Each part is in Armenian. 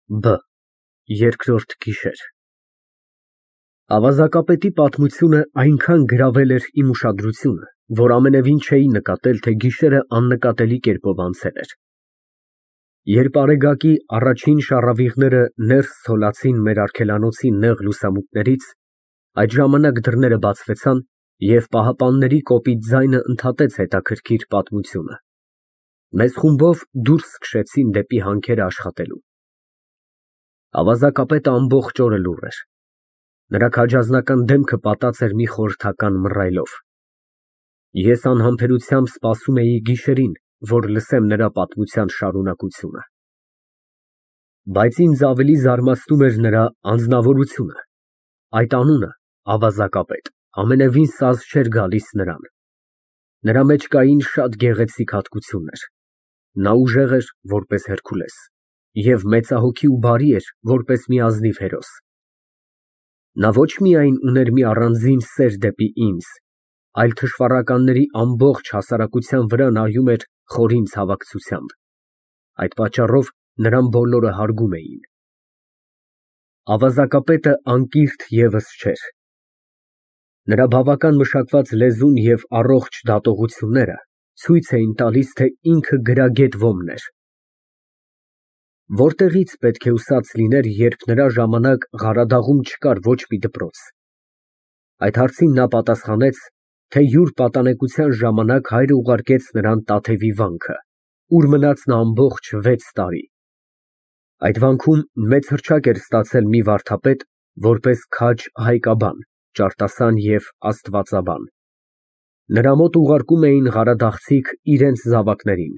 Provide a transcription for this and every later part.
Բ Երկրորդ գիշեր Ավազակապետի պատմությունը այնքան գրավել էր իմ ուշադրությունը, որ ամենևին չէի նկատել, թե գիշերն աննկատելի կերպով անցել էր։ Երբ արեգակի առաջին շառավիղները ներս ցոլացին մեր արգելանոցի նեղ լուսամուտներից, այդ ժամանակ դռները բացվեցան, և պահապանների կոպիտ ձայնը ընդհատեց հետաքրքիր պատմությունը։ Մեզ խումբով դուրս քշեցին դեպի հանքերը աշխատելու։ Ավազակապետը ամբողջ օրը լուռ էր։ Նրա քաջազնական դեմքը պատած էր մի խորհրդական մռայլով։ Ես անհամբերությամբ սպասում էի գիշերին, որ լսեմ նրա պատմության շարունակությունը։ Բայց ինձ ավելի զարմացնում էր նրա անձնավորությունը։ Այդ անունը, ավազակապետ, ամենևին սազ չէր գալիս նրան։ Նրա մեջ կային շատ գեղեցիկ հատկություններ։ Նա ուժեղ էր, որպես Հերքուլես, և մեծահոգի ու բարի էր, որպես մի ազնիվ հերոս։ Նա ոչ միայն ուներ մի առանձին սեր դեպի ինձ, այլ թշվառականների ամբողջ հասարակության վրա նայում էր խորին ցավակցությամբ։ Այդ պատճառով նրան բոլորը հարգում էին։ Ավազակապետը անկիրք ևս չէր։ Նրա բավական մշակված լեզուն և առողջ դատողությունները ցույց էին տալիս, թե ինքը գրագետ ոմն էր։ Որտեղի՞ց պետք է ուսած լիներ, երբ նրա ժամանակ Ղարադաղում չկար ոչ մի դպրոց։ Այդ հարցին նա պատասխանեց, թե յուր պատանեկության ժամանակ հայրը ուղարկեց նրան Տաթևի վանքը, ուր մնաց նա ամբողջ 6 տարի։ Այդ վանքում մեծ հռչակ էր ստացել մի վարդապետ, որպես քաջ հայկաբան, ճարտասան և աստվածաբան։ Նրա մոտ ուղարկում էին ղարադաղցիք իրենց զավակներին։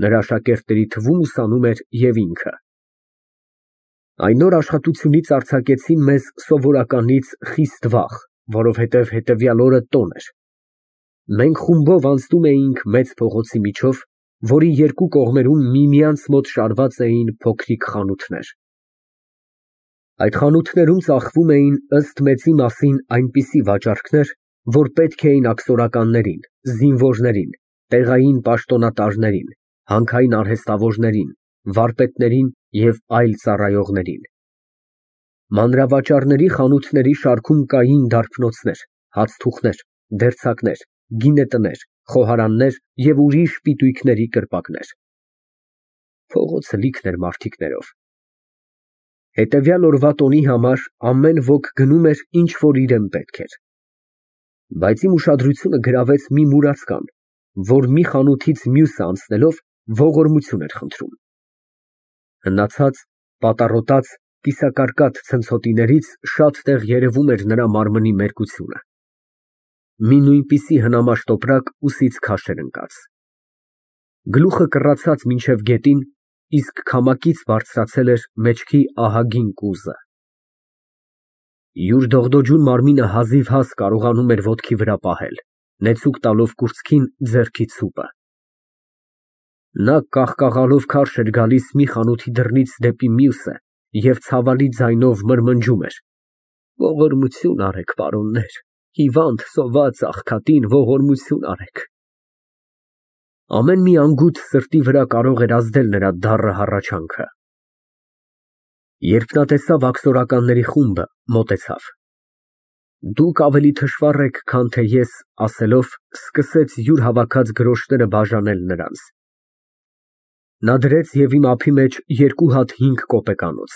Նրա շակերտների թվում ուսանում էր և ինքը։ Այն օր աշխատությունից արձակեցին մեզ սովորականից խիստ վաղ, որովհետև հետևյալ օրը տոն էր։ Մենք խումբով անցնում էինք մեծ փողոցի միջով, որի երկու կողմերում միմյանց մոտ շարված էին փոքրիկ խանութներ։ Այդ խանութներում ծախվում էին ըստ մեծի մասին այնպիսի վաճառքներ, որ պետք էին աքսորականներին, զինվորներին, տեղային պաշտոնատարներին, հանքային արհեստավորներին, վարպետներին և այլ ծառայողներին։ Մանրավաճառների խանութների շարքում կային դարբնոցներ, հացթուխներ, դերձակներ, գինետներ, խոհարաններ և ուրիշ պիտույքների կրպակներ։ Փողոցը լիքն էր մարդիկներով։ Հետևյալ օրվա տոնի համար ամեն ոք գնում էր, ինչ որ իրան պետք էր։ Բայց իմ ուշադրությունը գրավեց մի մուրացկան, որ մի խանութից մյուսը անցնելով ողորմություն էր խնդրում։ Հնացած, պատառոտած, կիսակարկատ ցնցոտիներից շատ տեղ երևում էր նրա մարմնի մերկությունը։ Մի նույնպիսի հնամաշ տոպրակ ուսից քաշ էր ընկած։ Գլուխը կռացած մինչև գետին, իսկ քամակից բարձրացել էր մեջքի ահագին կուզը։ Յուր դողդոջուն մարմինը հազիվհազ կարողանում էր ոտքի վրա պահել, նեցուկ տալով կուրծքին ձեռքի ցուպը։ Նա կաղկաղալով քարշ էր գալիս մի խանութի դռնից դեպի մյուսը և ցավալի ձայնով մրմնջում էր. «Ողորմություն արեք, պարոններ, հիվանդ, սոված աղքատին ողորմություն արեք»։ Ամեն մի անգութ սրտի վրա կարող էր ազդել նրա դառը հառաչանքը։ Երբ նա տեսավ աքսորականների խումբը, մոտեցավ։ «Դուք ավելի թշվառ եք, քան թե ես», ասելով, սկսեց յուր հավաքած գրոշները բաժանել նրանց։ Նա դրեց և իմ ափի մեջ 2 հատ 5 կոպեկանոց։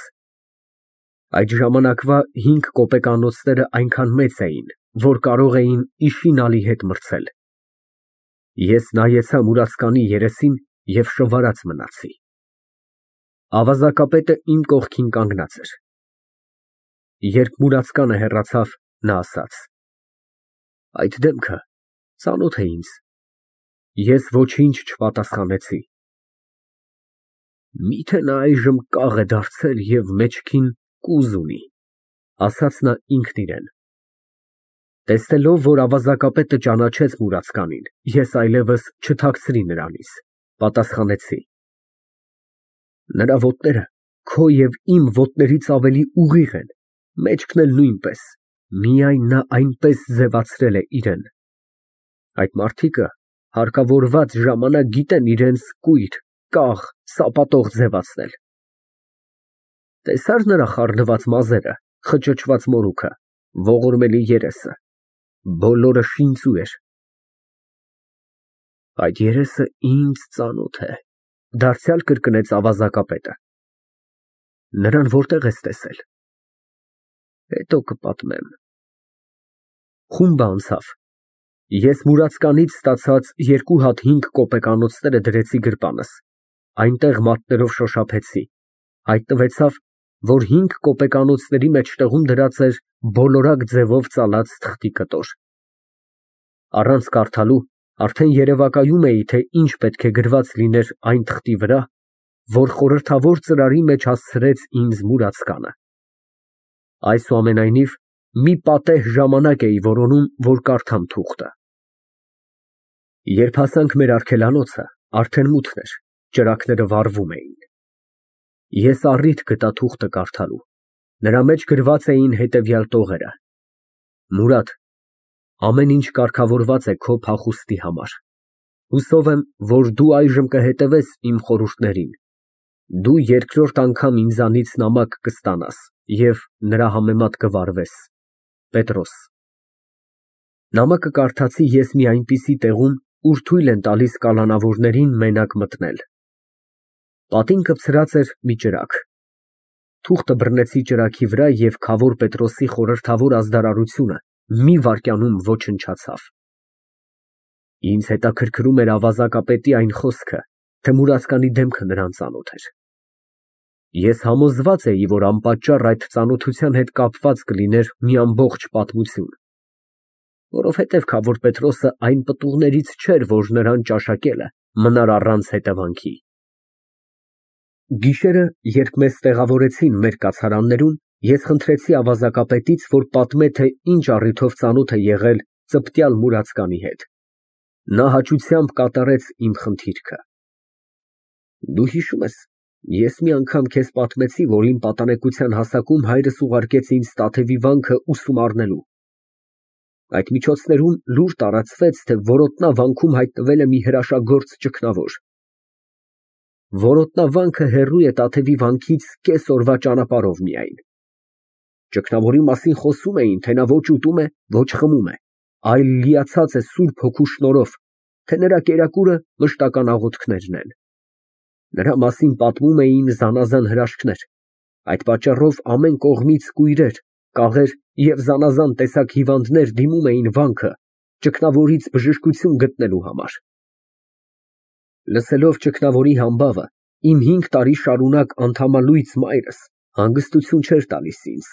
Այդ ժամանակվա 5 կոպեկանոցները այնքան մեծ էին, որ կարող էին իշխին հետ մրցել։ Ես նայեցա մուրացկանի երեսին և շվարած մնացի։ Ավազակապետը իմ կողքին կանգնած էր։ Երբ մուրացկանը հեռացավ, նա ասաց. «Այդ դեմքը ծանոթ է ինձ»։ Ես ոչինչ չպատասխանեցի։ «Մի՞թե նա այժմ կաղ է դարձել և մեջքին կուզ ունի», ասաց նա ինքն իրան։ Տեսնելով, որ ավազակապետը ճանաչեց մուրացկանին, ես այլևս չթաքցրի նրանից, պատասխանեցի. «Նրա ոտները քո և իմ ոտներից ավելի ուղիղ են, մեջքն էլ նույնպես, միայն նա այնպես ձևացրել է իրան։ Այդ մարդիկը հարկավորված ժամանակ գիտեն իրենց կույր, կաղ, սապատող ձևացնել»։ Տեսա՞ր նրա խառնված մազերը, խճճված մորուքը, ողորմելի երեսը, բոլորը շինծու էր։ Այդ երեսը ինձ ծանոթ է, դարձյալ կրկնեց ավազակապետը։ Նրան որտեղ ես տեսել։ Հետո կպատմեմ։ Խումբը անցավ։ Ես մուրացկանից ստացած 2 հատ 5 կոպեկանոցները դրեցի գրպանս, այնտեղ մատներով շոշափեցի, հայտնվեցավ, որ 5 կոպեկանոցների մեջտեղում դրած էր բոլորակ ձևով ծալած թղթի կտոր։ Առանց կարդալու արդեն երևակայում էի, թե ինչ պետք է գրված լիներ այն թղթի վրա, որ խորհրդավոր ծրարի մեջ հասցրեց ինձ մուրացկանը։ Այսուամենայնիվ, մի պատեհ ժամանակ էի որոնում, որ կարդամ թուղթը։ Երբ հասանք մեր արգելանոցը, արդեն մութն էր, ճրագները վառվում էին։ Ես առիթ գտա թուղթը կարդալու։ Նրա մեջ գրված էին հետևյալ տողերը. Մուրադ, ամեն ինչ կարգավորված է քո փախուստի համար։ Հուսով եմ, որ դու այժմ կհետևես իմ խորհուրդներին։ Դու երկրորդ անգամ ինձանից նամակ կստանաս և նրա համեմատ կվարվես։ Պետրոս։ Նամակը կարդացի ես մի այնպիսի տեղում, ուր թույլ են տալիս կալանավորներին մենակ մտնել։ Պատին կպցրած էր մի ճրագ։ Թուղթը բռնեցի ճրագի վրա և Քավոր Պետրոսի խորհրդավոր ազդարարությունը մի վայրկյանում ոչնչացավ։ Ինձ հետաքրքրում էր ավազակապետի այն խոսքը, թե մուրացկանի դեմքը նրան ծանոթ էր։ Ես համոզված էի, որ անպատճառ այդ ծանոթության հետ կապված կլիներ մի ամբողջ պատմություն, որովհետև Քավոր Պետրոսը այն պտուղներից չէր, որ նրան ճաշակելը մնար առանց հետևանքի։ Գիշերը, երբ մեզ տեղավորեցին մեր կացարաններում, ես խնդրեցի ավազակապետից, որ պատմե, թե ինչ առիթով ծանոթ է եղել ծպտյալ մուրացկանի հետ։ Նա հաճությամբ կատարեց իմ խնդիրքը։ Դու հիշում ես, ես մի անգամ քեզ պատմեցի, որ իմ պատանեկության հասակում հայրս ուղարկեց ինձ Տաթևի վանքը ուսում առնելու։ Այդ միջոցներում լուր տարածվեց, թե Որոտնա վանքում հայտնվել է մի հրաշագործ ճգնավոր։ Որոտնավանքը հեռու է Տաթևի վանքից կես օրվա ճանապարհով միայն։ Ճգնավորի մասին խոսում էին, թե նա ոչ ուտում է, ոչ խմում է, այլ լիացած է Սուրբ Հոգու շնորհով, թե նրա կերակուրը մշտական աղոթքներն են։ Նրա մասին պատմում էին զանազան հրաշքներ։ Այդ պատճառով ամեն կողմից կույրեր, կաղեր և զանազան տեսակ հիվանդներ դիմում էին վանքը ճգնավորից բժշկություն գտնելու համար։ Լսելով ճգնավորի համբավը, իմ 5 տարի շարունակ անդամալույծ մայրս հանգստություն չէր տալիս ինձ։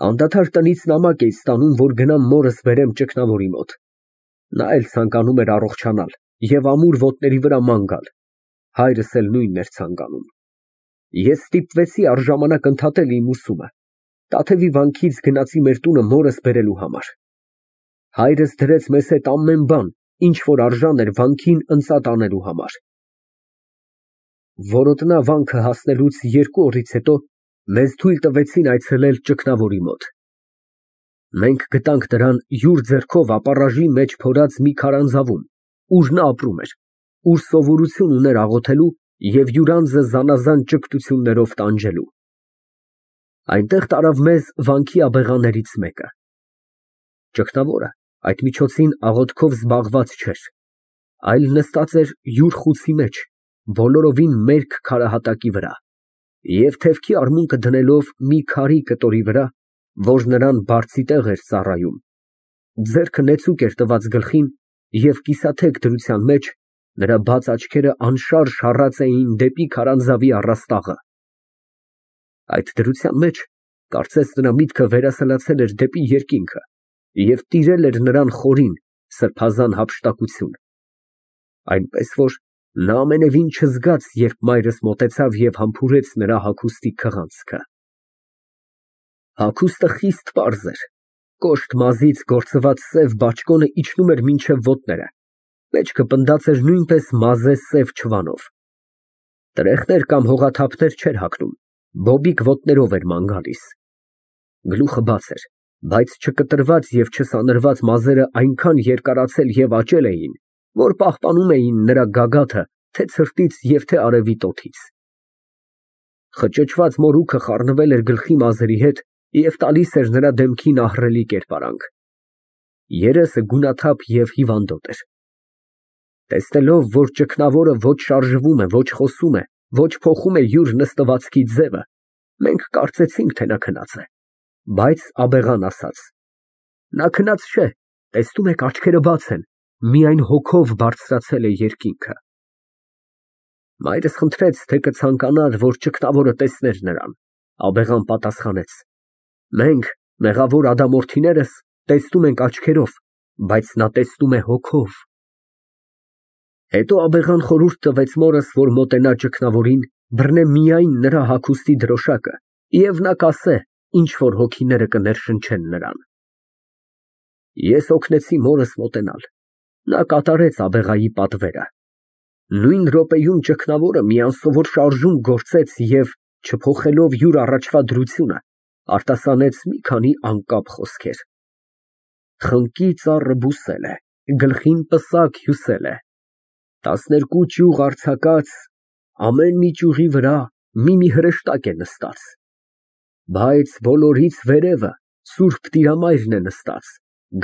Անդադար տնից նամակ էի ստանում, որ գնամ մորս բերեմ ճգնավորի մոտ։ Նա էլ ցանկանում էր առողջանալ և ամուր ոտների վրա ման գալ։ Հայրս էլ նույնն էր ցանկանում։ Ես ստիպվեցի առժամանակ ընդհատել իմ ուսումը։ Տաթևի վանքից գնացի մեր տունը մորս բերելու համար։ Հայրս դրեց մեզ հետ ամեն բան, ինչ որ արժան էր վանքին ընծատ անելու համար։ Որոտնա վանքը հասնելուց 2 օրից հետո մեզ թույլ տվեցին այցելել ճգնավորի մոտ։ Մենք գտանք նրան յուր ձեռքով ապառաժի մեջ փորած մի քարանձավում, ուր նա ապրում էր, ուր սովորություն ուներ աղոթելու և յուր անձը զանազան ճգնություններով տանջելու։ Այնտեղ տարավ մեզ վանքի աբեղաներից մեկը։ Ճգնավորը այդ միջոցին աղոթքով զբաղված չէր, այլ նստած էր յուր խուցի մեջ, բոլորովին մերկ քարահատակի վրա, և թևքի արմունկը դնելով մի քարի կտորի վրա, որ նրան բարձի տեղ էր ծառայում, ձեռքը նեցուկ էր տված գլխին և կիսաթեք դրության մեջ նրա բաց աչքերը անշարժ հառած էին դեպի քարանձավի առաստաղը։ Այդ դրության մեջ, կարծես նրա միտքը վերասլացել էր դեպի երկինքը և տիրել էր նրան խորին, սրբազան հափշտակություն, այնպես որ նա ամենևին չզգաց, երբ մայրս մոտեցավ և համբուրեց նրա հագուստի քղանցքը։ Հագուստը խիստ պարզ էր, կոշտ մազից գործված սև բաճկոնը իջնում էր մինչև ոտները, մեջքը պնդած էր նույնպես մազե սև չվանով։ Տրեխներ կամ հողաթափներ չէր հագնում, բոբիկ ոտներով էր ման գալիս։ Գլուխը բաց էր, բայց չկտրված և չսանրված մազերը այնքան երկարացել և աճել էին, որ պահպանում էին նրա գագաթը թե ցրտից և թե արևի տոթից։ Խճճված մորուքը խառնվել էր գլխի մազերի հետ և տալիս էր նրա դեմքին ահռելի կերպարանք։ Երեսը գունաթափ և հիվանդոտ էր։ Տեսնելով, որ ճգնավորը ոչ շարժվում է, ոչ խոսում է, ոչ փոխում է յուր նստվածքի ձևը, մենք կարծեցինք, թե նա քնած է, բայց աբեղան ասաց. նա քնած չէ, տեսնում եք, աչքերը բաց են, միայն հոգով բարձրացել է երկինքը։ Մայրս խնդրեց, թե կցանկանար, որ ճգնավորը տեսներ նրան։ Աբեղան պատասխանեց. մենք, մեղավոր ադամորդիներս, տեսնում ենք աչքերով, բայց նա տեսնում է հոգով։ Հետո աբեղան խորհուրդ տվեց մորս, որ մոտենա ճգնավորին, բռնե միայն նրա հագուստի դրոշակը և նա կասե, ինչ որ հոգիները կներշնչեն նրան։ Ես օգնեցի մորս մոտենալ։ Նա կատարեց աբեղայի պատվերը։ Նույն րոպեում ճգնավորը մի անսովոր շարժում գործեց և, չփոխելով յուր առաջվա դրությունը, արտասանեց մի քանի անկապ խոսքեր։ Խնկի ծառը բուսել է, գլխին պսակ հյուսել է, 12 ճյուղ արձակած, ամեն մի ճյուղի վրա մի հրեշտակ է նստած, բայց բոլորից վերևը Սուրբ Տիրամայրն է նստած,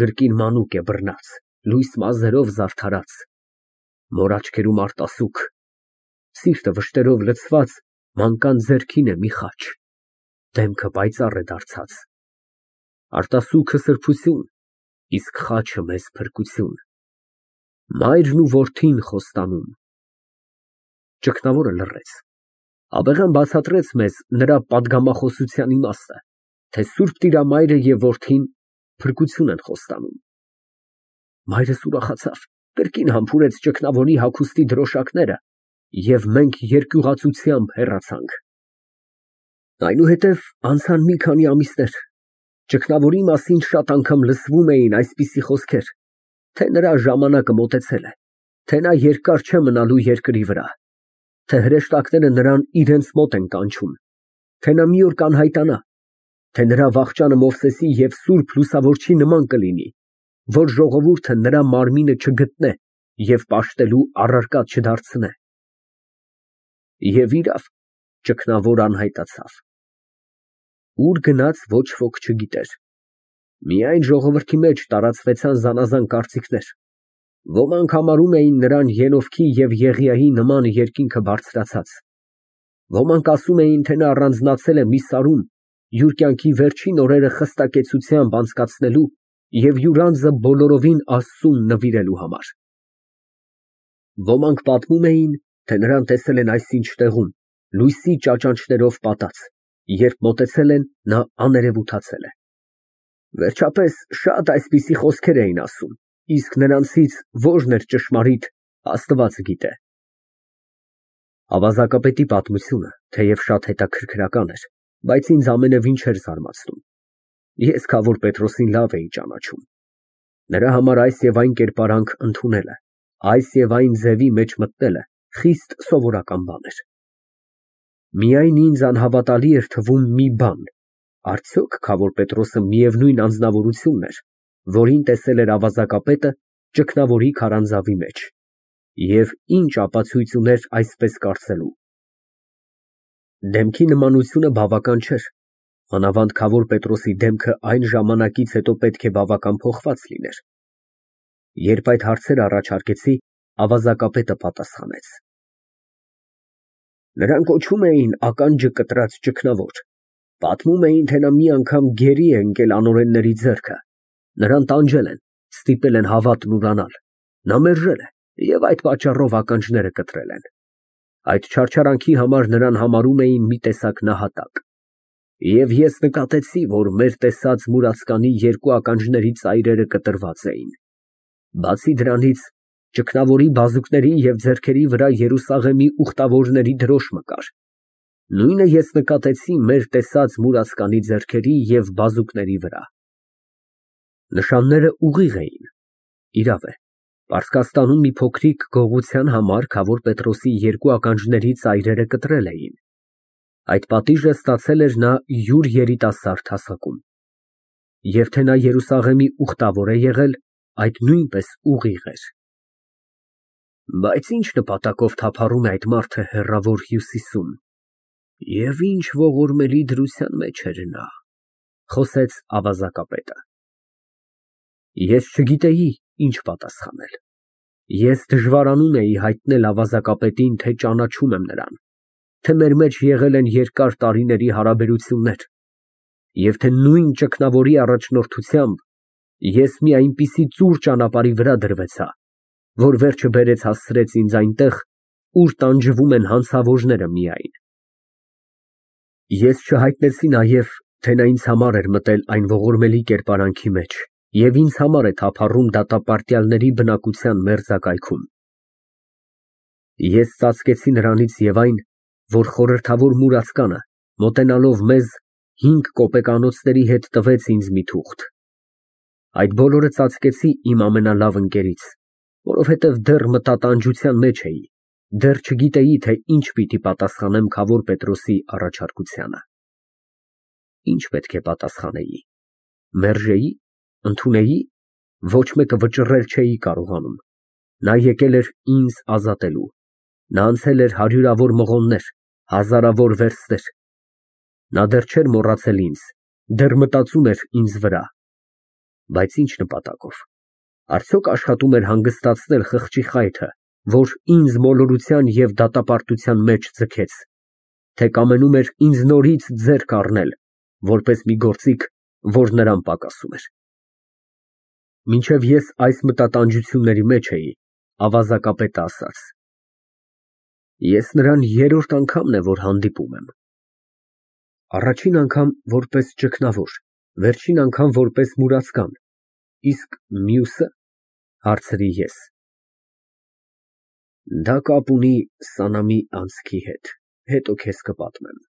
գրկին մանուկ է բռնած, լույս մազերով զարդարած, մոր աչքերում արտասուք, սիրտը վշտերով լցված, մանկան ձեռքին է մի խաչ, դեմքը պայծառ է դարձած, արտասուքը սրբություն, իսկ խաչը մեզ փրկություն, մայրն ու որդին խոստանում։ Ճգնավորը լռեց։ Աբեղան բացատրեց մեզ նրա պատգամախոսության իմաստը, թե Սուրբ Տիրամայրը և որդին փրկություն են խոստանում։ Մայրս ուրախացավ, կրկին համբուրեց ճգնավորի հագուստի դրոշակները և մենք երկյուղացությամբ հեռացանք։ Այնուհետև անցան մի քանի ամիսներ, ճգնավորի մասին շատ անգամ լսվում էին այսպիսի խոսքեր, թե նրա ժամանակը մոտեցել է, թե նա երկար չէ մնալու երկրի վրա, թե հրեշտակները նրան իրենց մոտ են կանչում, թե նա մի օր կանհայտանա, թե նրա վախճանը Մովսեսի և Սուրբ Լուսավորչի նման կլինի, որ ժողովուրդը նրա մարմինը չգտնե և պաշտելու առարկա չդարձնե։ Եվ իրավ, ճգնավոր անհայտացավ։ Ուր գնաց ոչ ոք չգիտեր։ Միայն ժողովրդի մեջ տարածվեցան զանազան կարծիքներ։ Ոմանք համարում էին նրան Ենովքի և Եղիայի նման երկինքը բարձրացած։ Ոմանք ասում էին, թե նա առանձնացել է մի սարում, յուր կյանքի վերջին օրերը խստակեցությամբ անցկացնելու և յուր անձը բոլորովին Աստծուն նվիրելու համար։ Ոմանք պատմում էին, թե նրան տեսել են այսինչ տեղում, լույսի ճաճանճներով պատած, երբ մոտեցել են, նա աներևութացել է։ Վերջապես շատ այսպիսի խոսքեր էին ասում, իսկ նրանցից որն էր ճշմարիտ, Աստված գիտե։ Ավազակապետի պատմությունը, թեև շատ հետաքրքրական էր, բայց ինձ ամենևին չէր զարմացնում։ Ես Քավոր Պետրոսին լավ էի ճանաչում։ Նրա համար այս և այն կերպարանք ընդունելը, այս և այն ձևի մեջ մտնելը խիստ սովորական բան էր։ Միայն ինձ անհավատալի էր թվում մի բան. արդյոք Քավոր Պետրոսը միևնույն անձնավորությունն էր, որին տեսել էր ավազակապետը ճգնավորի քարանձավի մեջ, և ինչ ապացույց ուներ այսպես կարծելու։ Դեմքի նմանությունը բավական չէր, մանավանդ Քավոր Պետրոսի դեմքը այն ժամանակից հետո պետք է բավական փոխված լիներ։ Երբ այդ հարցերը առաջարկեցի, ավազակապետը պատասխանեց. նրան կոչում էին ականջը կտրած ճգնավոր, պատմում էին, թե նա մի անգամ գերի է ընկել անօրենների ձեռքը, նրան տանջել են, ստիպել են հավատն ուրանալ, նա մերժել է և այդ պատճառով ականջները կտրել են։ Այդ չարչարանքի համար նրան համարում էին մի տեսակ նահատակ։ Եվ ես նկատեցի, որ մեր տեսած մուրացկանի երկու ականջների ծայրերը կտրված էին։ Բացի դրանից, ճգնավորի բազուկների և ձեռքերի վրա Երուսաղեմի ուխտավորների դրոշմը կար։ Նույնը ես նկատեցի մեր տեսած մուրացկանի ձեռքերի և բազուկների վրա։ Նշանները ուղիղ էին։ Իրավ է, Պարսկաստանում մի փոքրիկ գողության համար Քավոր Պետրոսի երկու ականջների ծայրերը կտրել էին։ Այդ պատիժը ստացել էր նա յուր երիտասարդ հասակում։ Եվ թե նա Երուսաղեմի ուխտավոր է եղել, այդ նույնպես ուղիղ էր։ Բայց ինչ նպատակով թափառում է այդ մարդը հեռավոր Հյուսիսում։ Եվ ինչ ողորմելի դրության մեջ էր նա, խոսեց ավազակապետը։ Ես չգիտեի ինչ պատասխանել։ Ես դժվարանում էի հայտնել ավազակապետին, թե ճանաչում եմ նրան, թե մեր մեջ եղել են երկար տարիների հարաբերություններ, և թե նույն ճգնավորի առաջնորդությամբ ես մի այնպիսի ծուռ ճանապարհի վրա դրվեցա, որ վերջը բերեց հասցրեց ինձ այնտեղ, ուր տանջվում են հանցավորները միայն։ Ես չհայտնեցի նաև, թե նա ինձ համար էր մտել այն ողորմելի կերպարանքի մեջ և ինձ համար է թափառում դատապարտյալների բնակության մերձակայքում։ Ես ծածկեցի նրանից և այն, որ խորհրդավոր մուրացկանը, մոտենալով մեզ, 5 կոպեկանոցների հետ տվեց ինձ մի թուղթ։ Այդ բոլորը ծածկեցի իմ ամենալավ ընկերից, որովհետև դեռ մտատանջության մեջ էի, դեռ չգիտեի, թե ինչ պիտի պատասխանեմ քավոր Պետրոսի առաջարկությանը։ Ինչ պետք է պատասխանեի, մերժեի, ընդունեի, ոչ մեկը վճռել չէի կարողանում։ Նա եկել էր ինձ ազատելու, նա անցել էր հարյուրավոր մղոններ, հազարավոր վերստեր։ Նա դեռ չէր մոռացել ինձ, դեռ մտածում էր ինձ վրա։ Բայց ինչ նպատակով։ Արդյոք աշխատում էր հանգստացնել խղճի խայթը, որ ինձ մոլորության և դատապարտության մեջ ձգեց, թե կամենում էր ինձ նորից ձեռք առնել, որպես մի գործիք, որ նրան պակասում էր։ Մինչև ես այս մտատանջությունների մեջ էի, ավազակապետը ասաց. Ես նրան երրորդ անգամն է, որ հանդիպում եմ։ Առաջին անգամ որպես ճգնավոր, վերջին անգամ որպես մուրացկան, իսկ մյուսը, հարցրի ես։ Դա կապ ունի Սանամի անցքի հետ, հետո քեզ կպատմեմ։